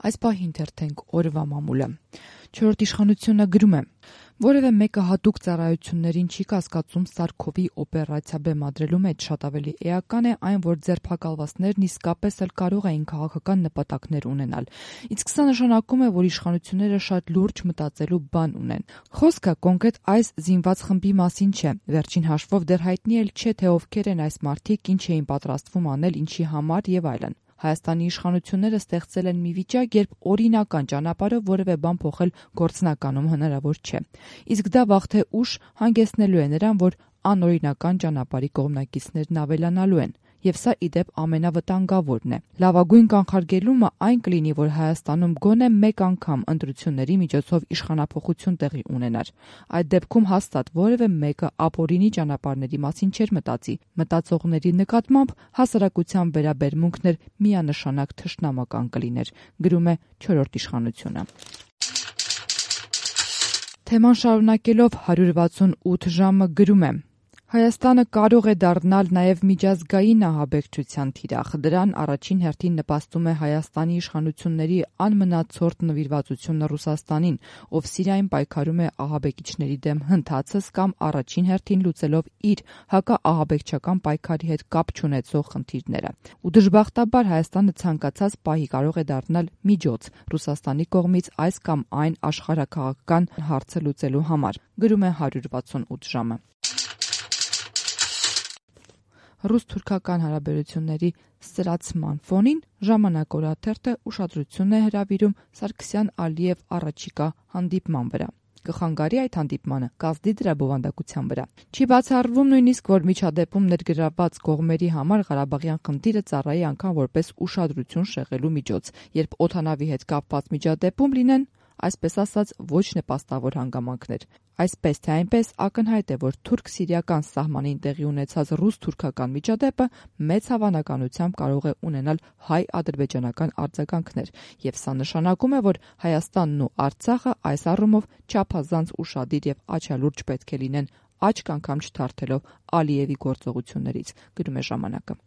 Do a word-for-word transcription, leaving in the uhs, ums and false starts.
Այս պահին թերթենք օրվա մամուլը։ Չորրորդ իշխանությունը գրում է. որևէ մեկը հատուկ ծառայություններին չի կասկածում Սարքովի օպերացիա բեմադրելու մեջ, շատ ավելի էական է այն, որ ձերբակալվածներն իսկապես էլ կարող էին քաղաքական նպատակներ ունենալ։ Իսկ սա նշանակում է, որ իշխանությունները շատ լուրջ մտածելու բան ունեն։ Խոսքը կոնկրետ այս զինված խմբի մասին չէ։ Վերջին հաշվով դեռ հայտնի էլ չէ, թե ովքեր են այս մարդիկ, ինչ էին պատրաստվում անել, ինչի համար եւ այլն։ Հայաստանի իշխանությունները ստեղծել են մի վիճակ, երբ օրինական ճանապարհով որևէ բան փոխել գործնականում հնարավոր չէ։ Իսկ դա վաղ թե ուշ հանգեցնելու է նրան, որ անօրինական ճանապարհի կողմնակիցներն ավելանալու են։ Եվ սա ի դեպ ամենավտանգավորն է։ Լավագույն կանխարգելումը այն կլինի, որ Հայաստանում գոնե մեկ անգամ ընտրությունների միջոցով իշխանափոխություն տեղի ունենար։ Այդ դեպքում հաստատ որևէ մեկը ապօրինի ճանապարհների մասին չէր մտածի։ Մտածողների նկատմամբ հասարակության վերաբերմունքն էր միանշանակ թշնամական կլիներ, գրում է չորրորդ իշխանությունը։ Թեման շարունակելով հարյուր վաթսունութ ժամը գրում է. Հայաստանը կարող է դառնալ նաև միջազգային ահաբեկչության թիրախ։ Դրան առաջին հերթին նպաստում է Հայաստանի իշխանությունների անմնացորդ նվիրվածությունը Ռուսաստանին, ով Սիրիայում պայքարում է ահաբեկիչների դեմ հնդհացս կամ առաջին հերթին լուծելով իր հակաահաբեկչական պայքարի հետ կապ չունեցող խնդիրները։ Ու դժբախտաբար Հայաստանը ցանկացած պահի կարող է դառնալ միջոց Ռուսաստանի կողմից այս կամ այն աշխարհաքաղաքական հարցը լուծելու համար, գրում է հարյուր վաթսունութ ժամը։ Ռուս-թուրքական հարաբերությունների սրացման ֆոնին «Ժամանակ» օրաթերթը ուշադրություն է հրավիրում Սարգսյան-Ալիև առաջիկա հանդիպման վրա։ Կխանգարի այդ հանդիպմանը, կազդի դրա բովանդակության վրա։ Չի բացառվում նույնիսկ, որ միջադեպում ներգրավված կողմերի համար Ղարաբաղյան խնդիրը ծառայի անգամ որպես ուշադրություն շեղելու միջոց, երբ օդանավի հետ կապված միջադեպում լինեն, այսպես ասած, ոչ նպաստավոր հանգամանքներ։ Այսպես թե այնպես ակնհայտ է, որ թուրք-սիրիական սահմանին տեղի ունեցած ռուս-թուրքական միջադեպը մեծ հավանականությամբ կարող է ունենալ հայ-ադրբեջանական արձագանքներ, եւ սա նշանակում է, որ Հայաստանն ու Արցախը այս առումով չափազանց ուշադիր եւ աչալուրջ պետք է լինեն, աչք անգամ չթարթելով Ալիևի գործողություններից, գրում է ժամանակը։